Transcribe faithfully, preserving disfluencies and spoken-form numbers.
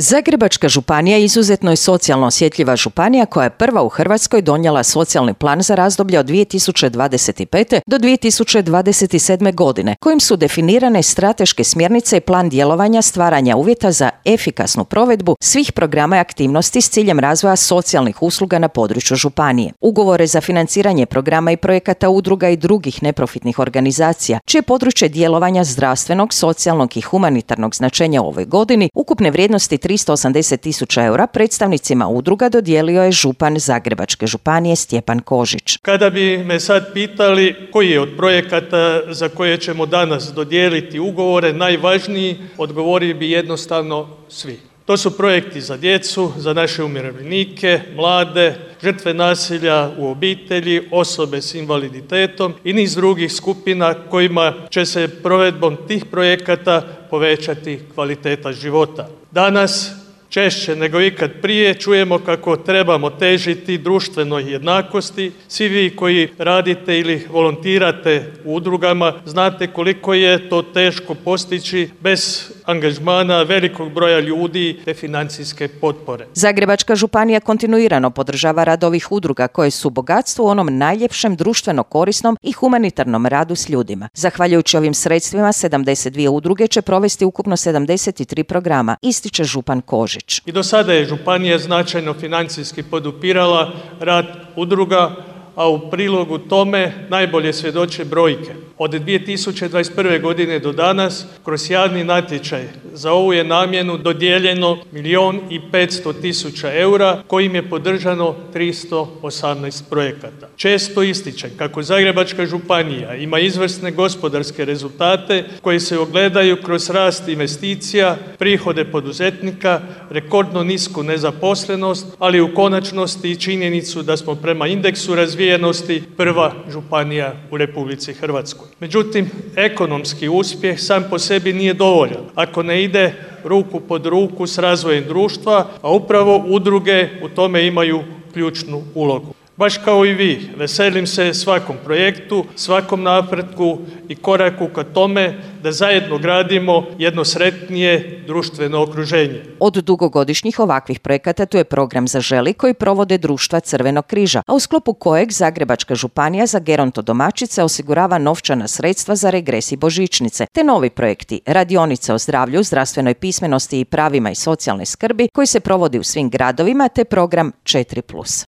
Zagrebačka županija izuzetno je socijalno osjetljiva županija koja je prva u Hrvatskoj donijela socijalni plan za razdoblje od dvije tisuće dvadeset pete. do dvije tisuće dvadeset sedme. godine, kojim su definirane strateške smjernice i plan djelovanja stvaranja uvjeta za efikasnu provedbu svih programa i aktivnosti s ciljem razvoja socijalnih usluga na području županije. Ugovore za financiranje programa i projekata udruga i drugih neprofitnih organizacija, čije područje djelovanja zdravstvenog, socijalnog i humanitarnog značenja u ovoj godini, ukupne vrijednosti tristo osamdeset tisuća eura, predstavnicima udruga dodijelio je župan Zagrebačke županije Stjepan Kožić. Kada bi me sad pitali koji je od projekata za koje ćemo danas dodijeliti ugovore najvažniji, odgovorio bi jednostavno svi. To su projekti za djecu, za naše umirovljenike, mlade, žrtve nasilja u obitelji, osobe s invaliditetom i niz drugih skupina kojima će se provedbom tih projekata povećati kvaliteta života. Danas češće nego ikad prije čujemo kako trebamo težiti društvenoj jednakosti. Svi vi koji radite ili volontirate u udrugama znate koliko je to teško postići bez angažmana velikog broja ljudi te financijske potpore. Zagrebačka županija kontinuirano podržava rad ovih udruga koje su bogatstvo u onom najljepšem društveno korisnom i humanitarnom radu s ljudima. Zahvaljujući ovim sredstvima, sedamdeset dvije udruge će provesti ukupno sedamdeset tri programa, ističe župan Kožić. I do sada je županija značajno financijski podupirala rad udruga, a u prilogu tome najbolje svjedoče brojke. Od dvije tisuće dvadeset prve. godine do danas, kroz javni natječaj za ovu je namjenu dodijeljeno milijun i petsto tisuća eura, kojim je podržano tristo osamnaest projekata. Često ističem kako Zagrebačka županija ima izvrsne gospodarske rezultate koji se ogledaju kroz rast investicija, prihode poduzetnika, rekordno nisku nezaposlenost, ali u konačnosti i činjenicu da smo prema indeksu razvijenosti prva županija u Republici Hrvatskoj. Međutim, ekonomski uspjeh sam po sebi nije dovoljan ako ne ide ruku pod ruku s razvojem društva, a upravo udruge u tome imaju ključnu ulogu. Baš kao i vi, veselim se svakom projektu, svakom napretku i koraku ka tome da zajedno gradimo jedno sretnije društveno okruženje. Od dugogodišnjih ovakvih projekata tu je program Zaželi koji provode društva Crvenog križa, a u sklopu kojeg Zagrebačka županija za gerontodomaćice osigurava novčana sredstva za regres i božićnice, te novi projekti radionice o zdravlju, zdravstvenoj pismenosti i pravima i socijalne skrbi koji se provodi u svim gradovima, te program četiri plus.